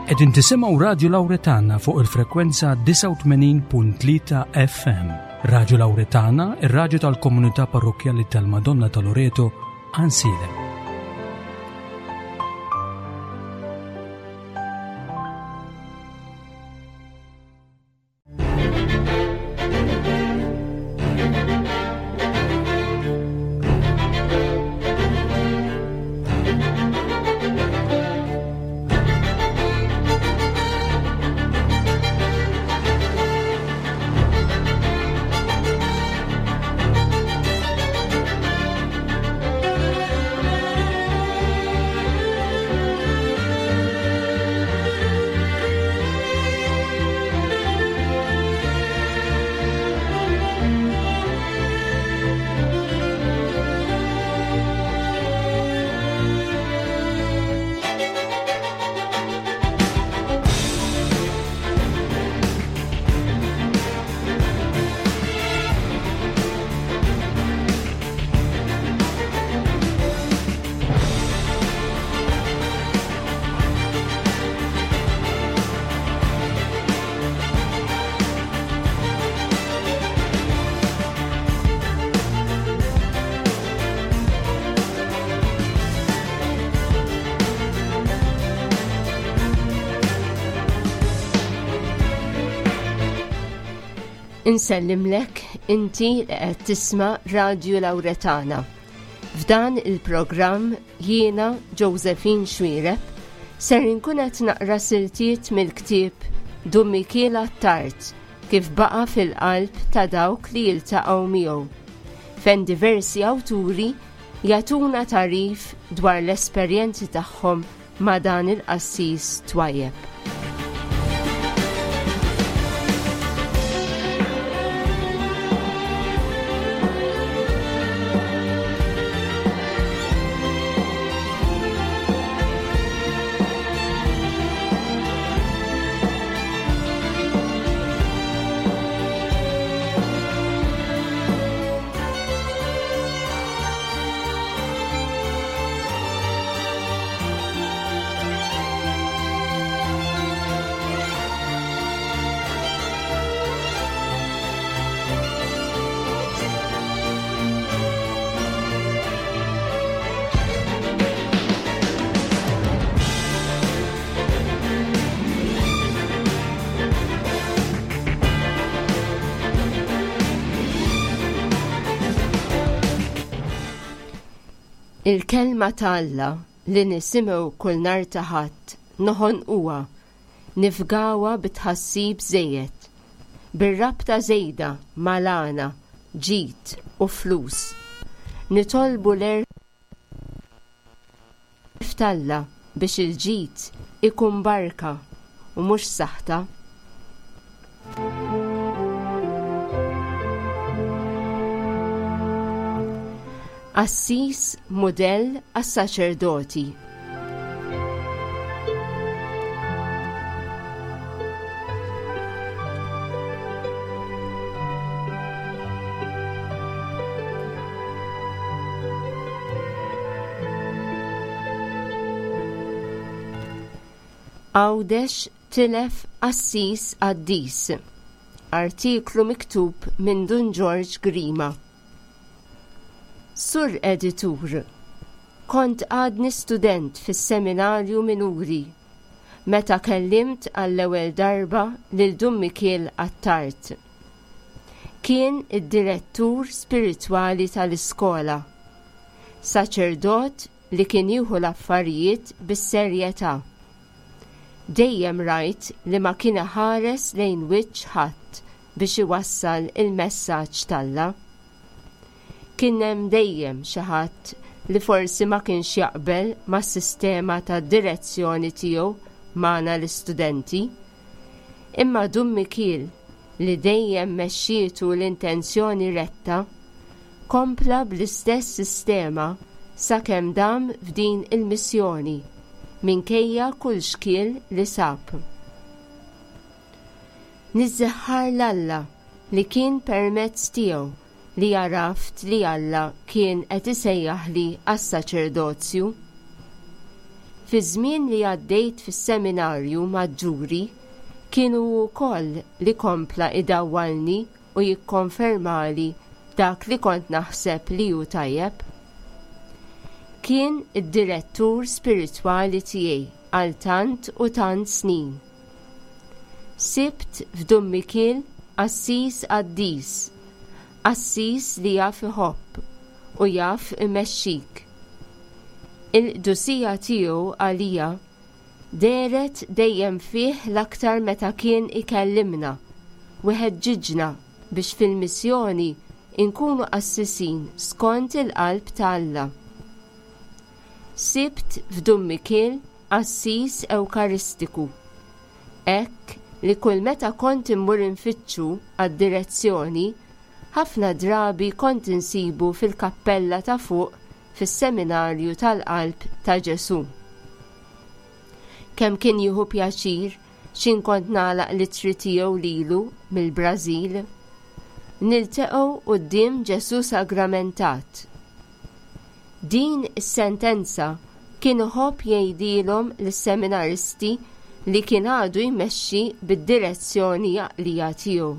Qegħdin tisimgħu Radju Lawretana fuq il-frekwenza 89.3 FM. Radju Lawretana, ir-radju tal-komunità parrokkjali tal-Madonna ta' Loreto, Ansilem. Insellimlek inti li qed tisma' Radju Lawretana. F'dan il-programm jiena Josephine Xuereb ser inkun qed naqra siltiet mill-ktieb Dun Mikiel Attard kif baqa' fil-qalb ta' dawk li jiltaqgħu miegħu, fejn diversi awturi jagħtuna tagħrif dwar l-esperjenzi tagħhom ma' dan il-qassis twajjeb. Il-Kelma ta' Alla li nisimgħu kull nhar ta' Ħadd noħonquha, nifgawha bi tħassib żejjed, bir-rabta żejda mal-għana, ġid u flus. Nitolbu l-għerf t'Alla biex il-ġid ikun barka u mhux saħta. Qassis mudell għas-saċerdoti. Għawdex tilef qassis qaddis. Artiklu miktub minn Dun Ġorġ Grima. Sur Editur, kont għadni student fis-Seminarju Minuri meta kellimt għall-ewwel darba lil Dun Mikiel Attard. Kien id-direttur spiritwali tal-iskola. Saċerdot li kien jieħu l-affarijiet bis-serjetà. Dejjem rajt li ma kien iħares lejn wiċċ ħadd biex iwassal il-messaġġ t'Alla. Kien hemm dejjem xi ħadd li forsi ma kienx jaqbel mas-sistema ta' direzzjoni tiegħu magħna l-istudenti. Imma Dun Mikiel, li dejjem mexxietu l-intenzjoni retta, kompla bl-istess sistema sakemm dam f'din il-missjoni, minkejja kull xkiel li sab. Niżżeħħar 'l Alla li kien permezz tiegħu li għaraft li Alla kien qed isejjaħli għas-saċerdozju. Fiż-żmien li għaddejt fis-seminarju maġġuri, kien hu wkoll li kompla idawwalni u jikkonfermali dak li kont naħseb li hu tajjeb. Kien id-direttur spiritwali tiegħi għal tant u tant snin. Sibt f'Dun Mikiel qassis qaddis, qassis li jaf iħobb u jaf imexxik. Il-qdusija tiegħu għalija dehret dejjem fih l-aktar meta kien ikellimna u iħeġġiġna biex fil-missjoni nkunu qassisin skont il-qalb ta' Alla. Sibt f'Dun Mikiel qassis Ewkaristiku, hekk li kull meta kont immur infittxu għad-direzzjoni, ħafna drabi kont insibu fil-kappella ta' fuq fis-Seminarju tal-Qalb ta' Ġesù. Kemm kien jieħu pjaċir x'in kont nagħlaq l-ittri tiegħu lilu mill-Brażil. Nilteqgħu quddiem Ġesù Sagramentat. Din is-sentenza kien iħobb jgħidilhom lis-seminaristi li kien għadu jmexxi bid-direzzjoni għaqlija tiegħu.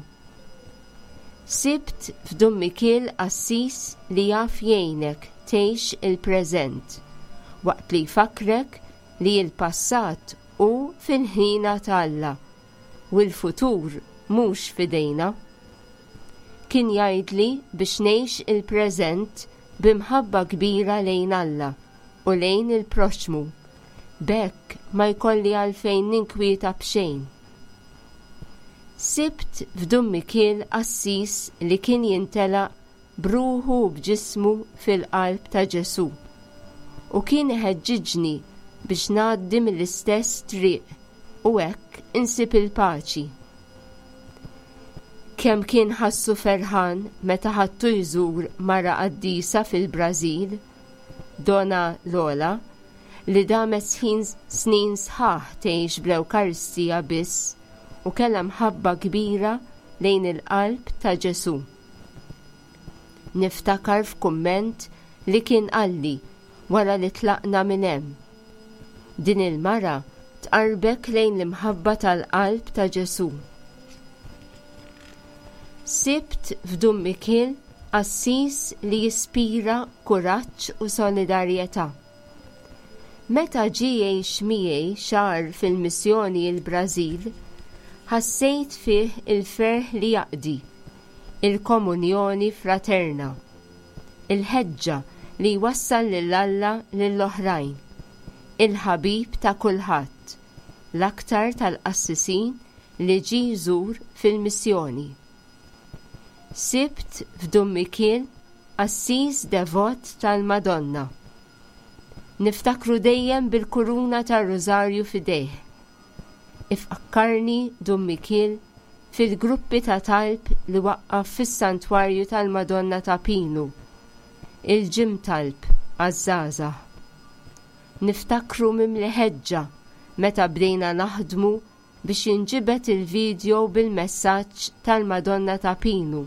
Sibt f'Dun Mikiel qassis li jaf jgħinek tgħix il-preżent, waqt li jfakkrek li l-passat hu fil-ħniena ta' Alla u l-futur mhux f'idejna. Kien jgħidli biex ngħix il-preżent bi mħabba kbira lejn Alla u lejn il-proxxmu, b'hekk ma jkolli għalfejn ninkwieta b'xejn. Sibt f'Dun Mikiel qassis li kien jintelaq b'ruħu u b'ġismu fil-qalb ta' Ġesù u kien iħeġġiġni biex ngħaddi mill-istess triq u hekk insib il-paċi. Kemm kien ħassu ferħan meta ħadtu jżur mara qaddisa fil-Brażil, Dona Lola, li damet sħin snin sħaħ tgħix bl-Ewkaristija biss u kellha mħabba kbira lejn il-qalb ta' Ġesù. Niftakar f'kumment li kien qalli wara li tlaqna minn hemm. Din il-mara tqarrbek lejn l-imħabba tal-qalb ta' Ġesù. Sibt f'Dun Mikiel qassis li jispira kuraġġ u solidarjetà. Meta ġie jgħix miegħi xahar fil-missjoni l-Brażil, ħassejt fih il-ferħ li jaqdi, il-komunjoni fraterna. il-ħeġġa li jwassal lil Alla lill-oħrajn, il-ħabib ta' kulħadd, l-aktar tal-qassisin li ġie jżur fil-missjoni. Sibt f'Dun Mikiel qassis devot tal-Madonna. Niftakru dejjem bil-kuruna tar-Rużarju f'idejh. Ifakkarni Dun Mikiel fil-gruppi ta' talb li waqqaf fis-Santwarju tal-Madonna ta' Pinu, il-Ġim Talb għaż-żgħażagħ. Niftakru mimli ħeġġa meta bdejna naħdmu biex jinġibed il-video bil-messaġġ tal-Madonna ta' Pinu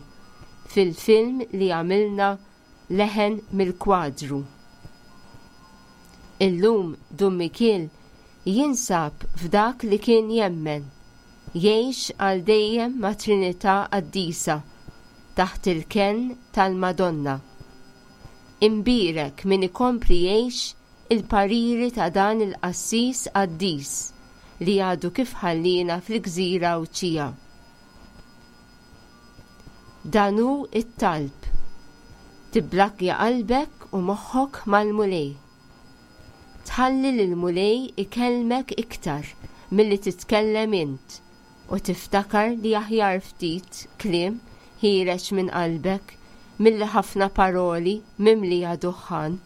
fil-film li għamilna Leħen mill-Kwadru. Illum Dun Mikiel jinsab f'dak li kien jemmen, jgħix għal dejjem mat-Trinità Qaddisa, taħt il-kenn tal-Madonna. Imbierek min ikompli jgħix il-pariri ta' dan il-qassis qaddis li għadu kif ħalliena fil-gżira Għawdxija. Dan hu t-talb. Tiblakkja qalbek u moħħok mal-Mulej. Tħalli lill-Mulej ikellmek iktar milli titkellem int u tiftakar li aħjar ftit kliem ħiereġ minn qalbek milli ħafna paroli mimlija duħħan.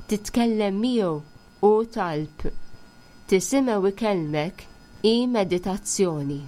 Titkellem miegħu hu talb. Tisimgħu ikellmek hi meditazzjoni.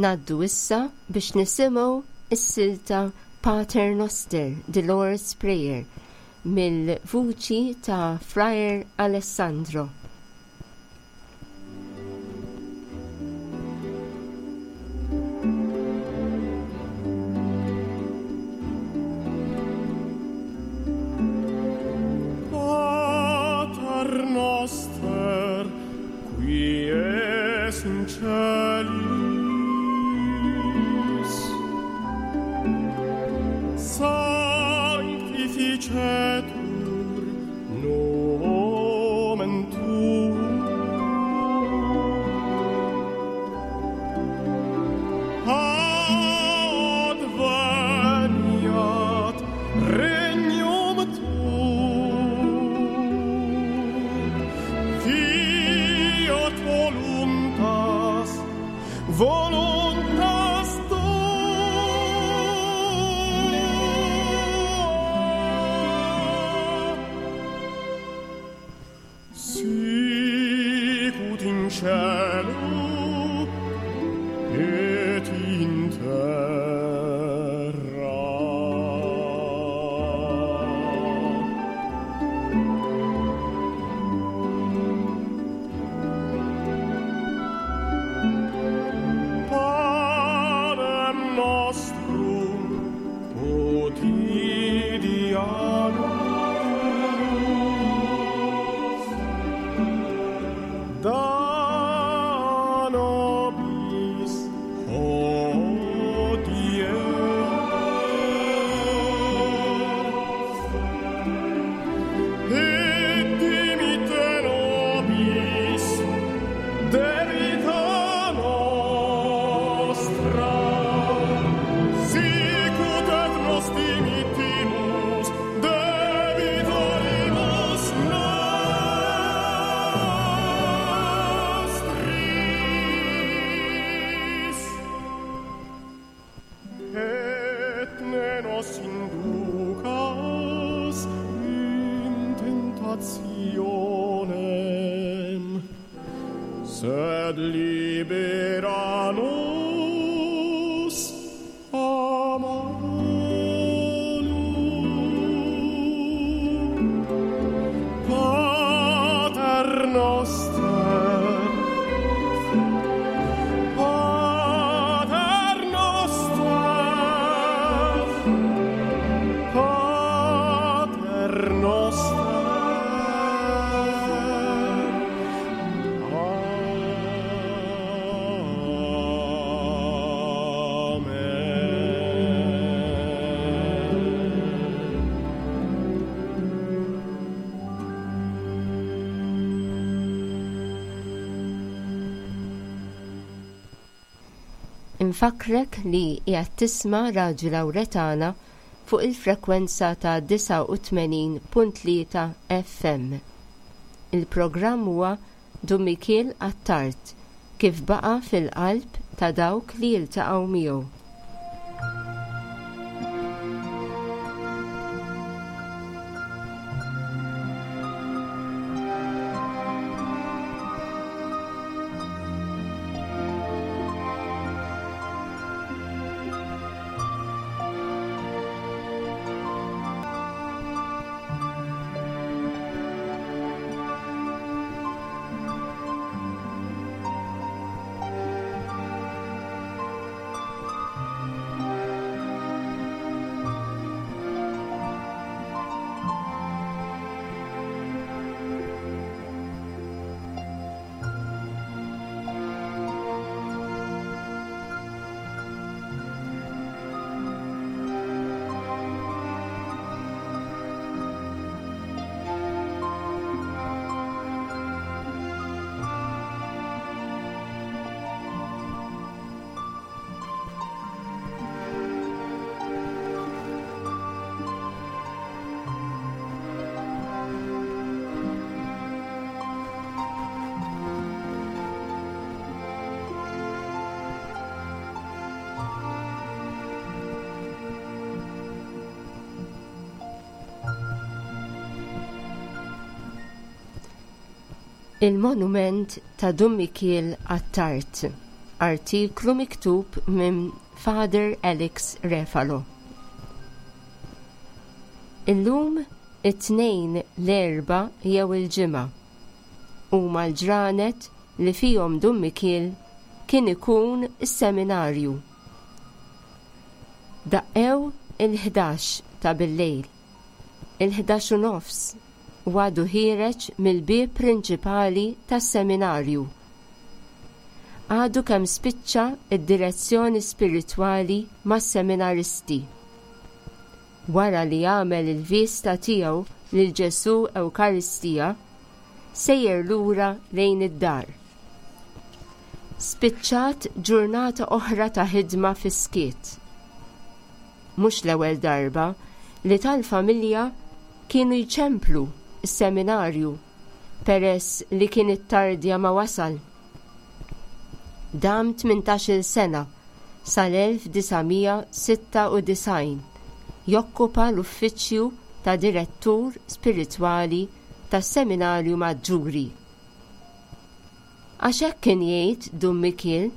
Ngħaddu issa biex nisimgħu s-silta Pater Noster, The Lord's Prayer, mill-vuċi ta' Friar Alessandro. Pater noster, qui es in celis, sanctificetur nomen tuum. Adveniat regnum tuum, fiat voluntas, voluntas tua, sicut in cielo et in terra. Panem nostrum quotidianum da nobis hodie et dimitte nobis debita nostra, sicut et nos dimittimus debitoribus nostris. Et ne nos inducas in tentationem, sed libera nos a malo. Pater noster, Pater noster, Pater noster. Amen. Infakrek li qiegħed tisma' Radju Lawretana fuq il-frekwenza ta' 89.3 FM. Il-programm huwa Dun Mikiel Attard kif baqa' fil-qalb ta' dawk li jiltaqgħu miegħu. Il-monument ta' Dun Mikiel Attard. Artiklu miktub minn Father Alex Refalo. Illum it-Tnejn, l-Erbgħa jew il-Ġimgħa huma l-ġranet li fihom Dun Mikiel kien ikun is-seminarju. Daqqew il-ħdax ta' billejl, il-ħdax u nofs u għadu ħiereġ mill-bieb prinċipali tas-seminarju. Għadu kemm spiċċa d-direzzjoni spiritwali mas-seminaristi. Wara li għamel il-viżta tiegħu lil Ġesù Ewkaristija, sejjer lura lejn id-dar. Spiċċat ġurnata oħra ta' ħidma fis-skiet. Mhux l-ewwel darba li tal-familja kienu jċemplu s-seminarju peress li kien ittardja ma wasal. Dam 18-il sena sal-1996 jokkupa l-uffiċċju ta' direttur spiritwali tas-Seminarju Maġġuri. Għax hekk kien jgħid Dun Mikiel,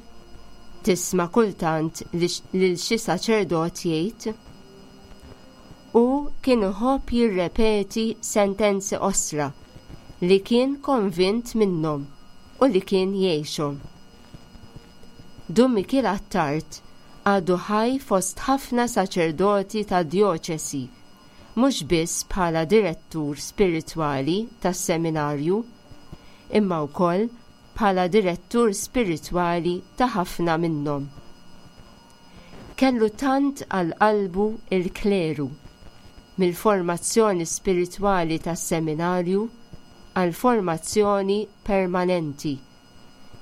tisma' kultant lil xi saċerdot jgħid. Hu kien iħobb jirrepeti sentenzi qosra li kien konvint minnhom u li kien jgħixhom. Dun Mikiel Attard għadu ħaj fost ħafna saċerdoti tad-djoċesi, mhux biss bħala direttur spiritwali tas-seminarju, imma wkoll bħala direttur spiritwali ta' ħafna minnhom. Kellu tant għal qalbu l-kleru, mill-formazzjoni spiritwali tas-seminarju għall-formazzjoni permanenti,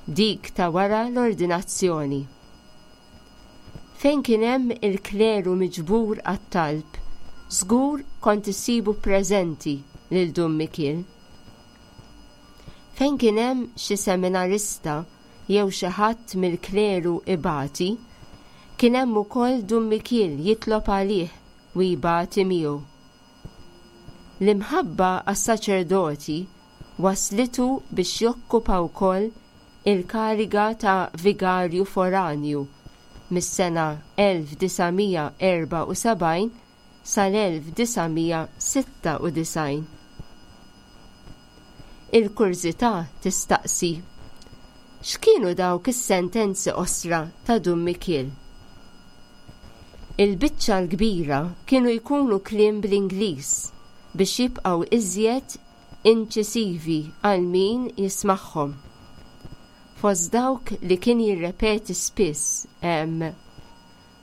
dik ta' wara l-ordinazzjoni. Fejn kien hemm il-kleru miġbur għat-talb, żgur kont issibu preżenti lil Dun Mikiel. Fejn kien hemm xi seminarista jew xi ħadd mill-kleru ibati, kien hemm ukoll Dun Mikiel jitlob għalih u jbati miegħu. L-imħabba għas-saċerdoti wasslitu biex jokkupa wkoll il-kariga ta' vigarju foranju mis-sena 1974 sal-1996. Il-kurżità tistaqsi, x'kienu dawk is-sentenzi qosra ta' Dun Mikiel? Il-biċċa l-kbira kienu jkunu kliem bl-Ingliż biex jibqgħu iżjed inċisivi għal min jismagħhom. Fost dawk li kien jirrepeti spiss hemm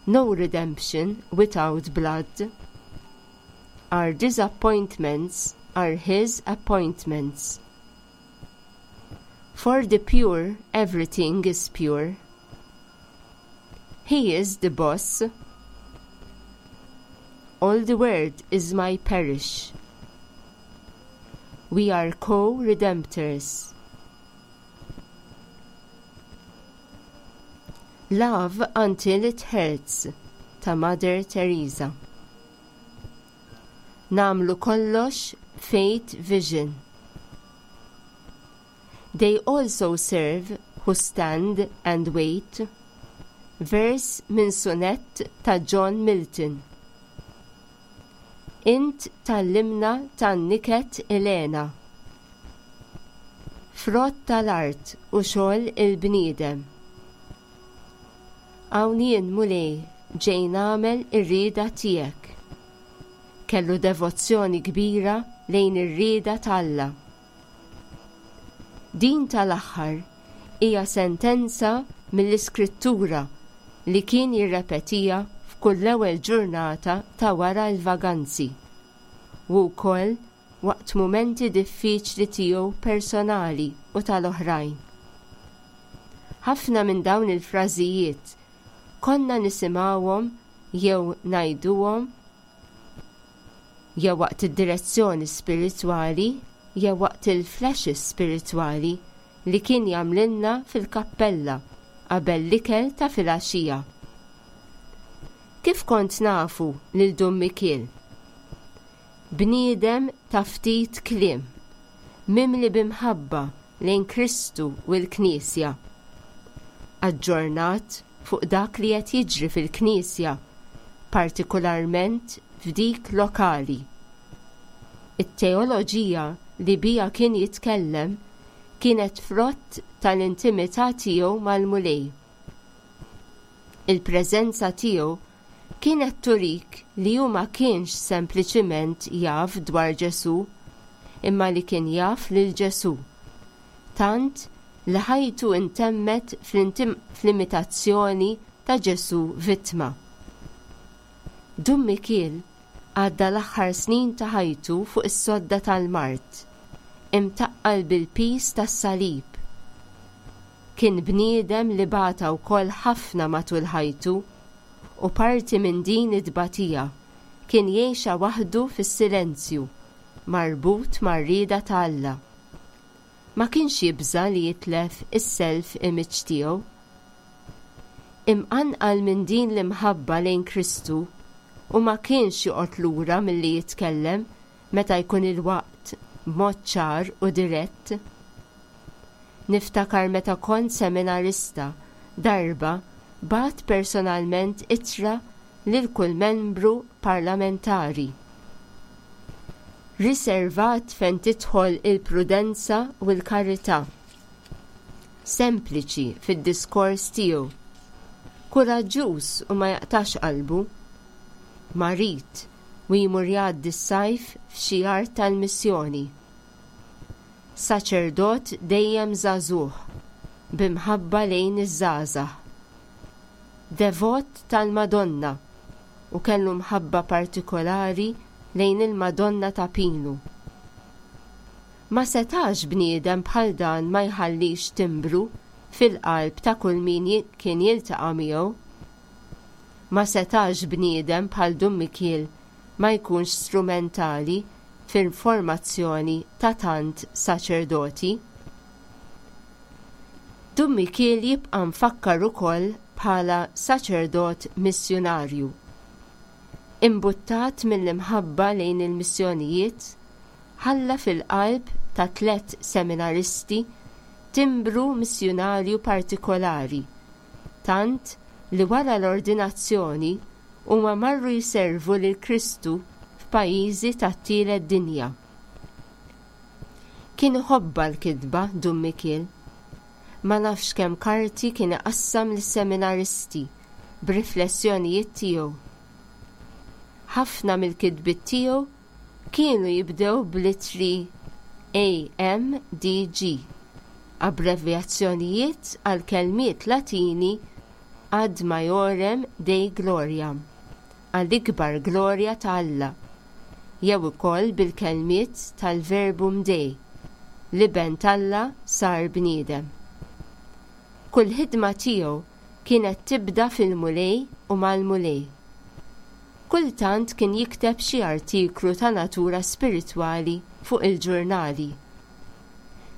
No redemption without blood. Our disappointments are his appointments. For the pure everything is pure. He is the boss. All the world is my parish. We are co-redemptors. Love Until It Hurts ta' Mother Teresa. Nagħmlu kollox Faith Vision. They also serve who stand and wait. Vers minn sunett ta' John Milton. Int tgħallimna tan-niket ilena. Frott tal-art u xogħol il-bniedem. Hawn jien, Mulej, ġej nagħmel ir-rieda tiegħek. Kellu devozzjoni kbira lejn ir-rieda t'Alla. Din tal-aħħar hija sentenza mill-Iskrittura li kien jirrepetiha f'kull l-ewwel ġurnata ta' wara l-vaganzi, u wkoll waqt mumenti diffiċli tiegħu personali u tal-oħrajn. Ħafna minn dawn il-frażijiet konna nisimgħuhom jew ngħiduhom jew waqt id-direzzjoni spiritwali jew waqt il-flashes spiritwali li kien jagħmlilna fil-kappella qabel l-ikel ta' filgħaxija. Kif kont nafu lil Dun Mikiel? Bniedem ta' ftit kliem, mimli b'imħabba lejn Kristu u l-Knisja. Aġġornat fuq dak li qed jiġri fil-Knisja, partikularment f'dik lokali. It-teoloġija li biha kien jitkellem kienet frott tal-intimità tiegħu mal-Mulej. Il-preżenza tiegħu kienet turik li hu ma kienx sempliċiment jaf dwar Ġesù, imma li kien jaf lil Ġesù, tant li ħajtu intemmet fl-imitazzjoni ta' Ġesù vittma. Dun Mikiel għadda l-aħħar snin ta' ħajtu fuq is-sodda tal-mard, imtaqqal bil-piż tas-salib. Kien bniedem li bata wkoll ħafna matul ħajtu u parti minn din it-tbatija kien jgħixha waħdu fis-silenzju, marbut mar-rieda ta' Alla. Ma kienx jibża' li jitlef is-self image tiegħu. Imqanqal minn din l-imħabba lejn Kristu u ma kienx joqgħod lura milli jitkellem meta jkun il-waqt b'mod ċar u dirett. Niftakar meta kont seminarista, darba bgħatt personalment ittra lil kull membru parlamentari. Riservat fejn tidħol il-prudenza u l-karità. Sempliċi fid-diskors tiegħu. Kuraġġuż u ma jaqtax qalbu. Marid u jmur jgħaddi s-sajf f'xi art tal-missjoni. Saċerdot dejjem żagħżugħ, bi mħabba lejn iż-żgħażagħ. Devot tal-Madonna u kellu mħabba partikolari lejn il-Madonna ta' Pinu. Ma setax bniedem bħal dan ma jħallix timbru fil-qalb ta' kull min kien jiltaqa' miegħu. Ma setax bniedem bħal Dun Mikiel ma jkunx strumentali fil-formazzjoni ta' tant saċerdoti. Dun Mikiel jibqa' mfakkar ukoll bħala saċerdot missjunarju. Imbuttat mill-imħabba lejn il-missjonijiet, ħalla fil-qalb ta' tlett seminaristi timbru missjunarju partikolari, tant li wara l-ordinazzjoni huma marru jservu lil Kristu f'pajjiżi tat-tielet dinja. Kien iħobbha l-kitba, Dun Mikiel. Ma nafx kemm karti kien iqassam lis-seminaristi b'riflessjonijiet tiegħu. Ħafna mill-kitbiet tiegħu kienu jibdew bl-ittri AMDG, abbrevjazzjonijiet għal kelmiet Latini ad maiorem Dei gloriam, għall-ikbar glorja ta' Alla, jew ukoll bil-kelmiet tal-Verbum Dei, l-Iben t'Alla sar bniedem. Kull ħidma tiegħu kienet tibda fil-Mulej u mal-Mulej. Kultant kien jikteb xi artiklu ta' natura spiritwali fuq il-ġurnali.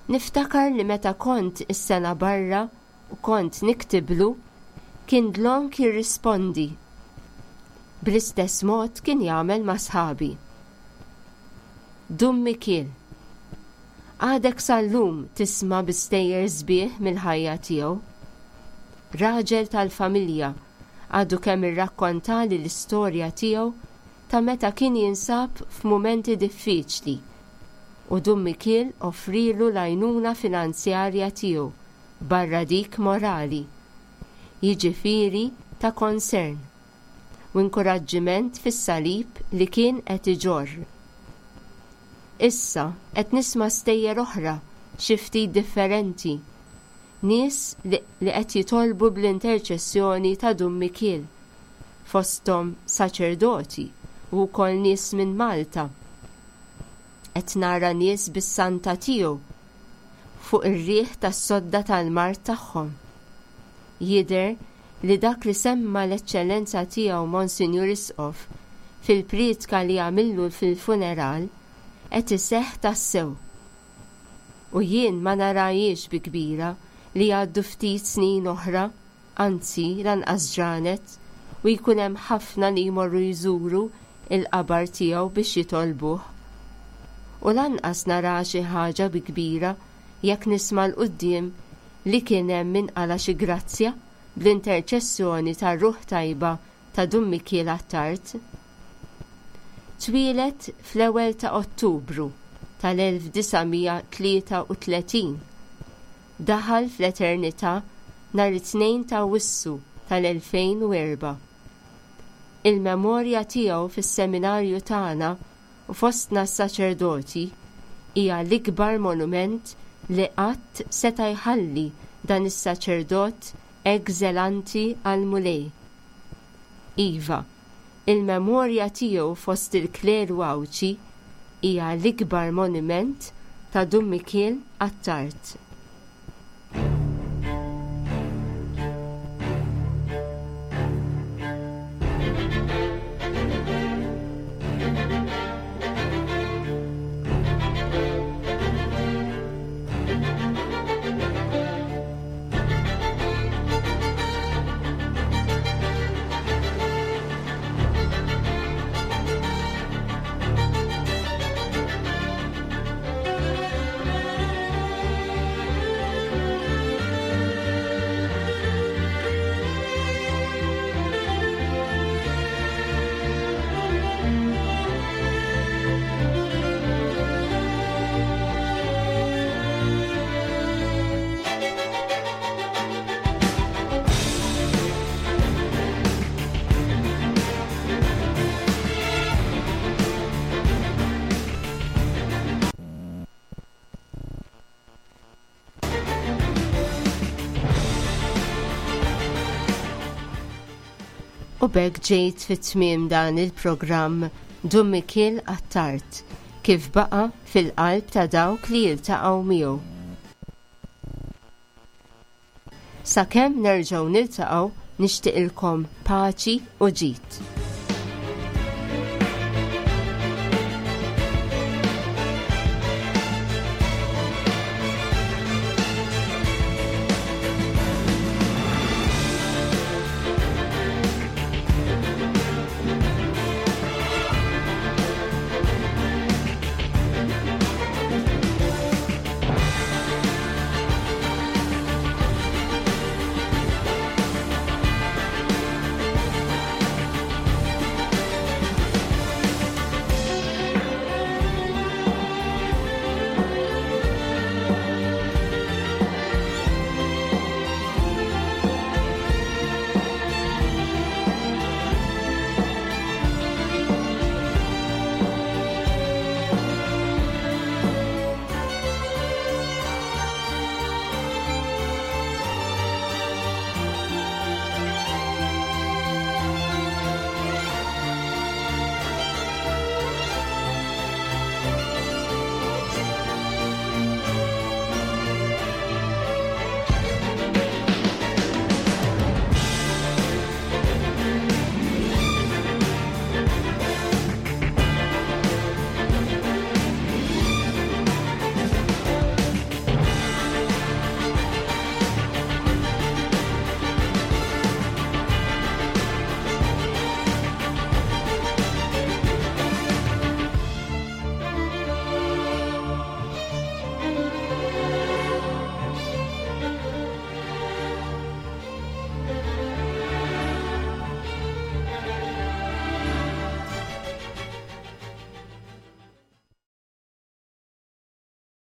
Niftakar li meta kont is-sena barra u kont niktiblu, kien dlonk jirrispondi. Bl-istess mod kien jagħmel ma' sħabi. Dun Mikiel. Għadek sal-lum tisma' bi stejjer sbieħ mill-ħajja tiegħu. Raġel tal-familja għadu kemm irrakkontali l-istorja tiegħu ta' meta kien jinsab f'mumenti diffiċli u Dun Mikiel offrielu l-għajnuna finanzjarja tiegħu barra dik morali, jiġifieri ta' concern u inkuraġġiment fis-salib li kien qed iġorr. Issa qed nisma' stejjer oħra xi ftit differenti, nies li li qed jitolbu bl-interċessjoni ta' Dun Mikiel, fosthom saċerdoti u wkoll nies minn Malta. Qed nara nies bis-santa tiegħu fuq ir-riħ tas-sodda tal-mard tagħhom. Jidher li dak li semma l-Eċċellenza Tiegħu Monsinjur Isqof fil-prietka li għamillu fil-funeral qed iseħħ tassew. U jien ma narahiex bi kbira li jgħaddu ftit snin oħra, anzi lanqas ġranet, u jkun hemm ħafna li jmorru jżuru l-qabar tiegħu biex jitolbuh. U lanqas naraha xi ħaġa bi kbira jekk nisma' 'l quddiem. li kien hemm min qala' xi grazzja bl-interċessjoni tar-ruħ tajba ta' Dun Mikiel Attard. Twieled fl-ewwel ta' Ottubru tal-1933. Daħal fl-eternità nhar it-Tnejn ta' Awwissu tal-2004. Il-memorja tiegħu fis-seminarju tagħna u fostna s-saċerdoti hija l-ikbar monument li qatt seta' jħalli dan is-saċerdot hekk żelanti għall-Mulej. Iva, il-memorja tiegħu fost il-kleru Għawdxi hija l-ikbar monument ta' Dun Mikiel Attard. U b'hekk ġejt fi tmiem dan il-programm Dun Mikiel Attard kif baqa' fil-qalb ta' dawk li jiltaqgħu miegħu. Sakemm nerġgħu niltaqgħu nixtieqilkom paċi u ġid.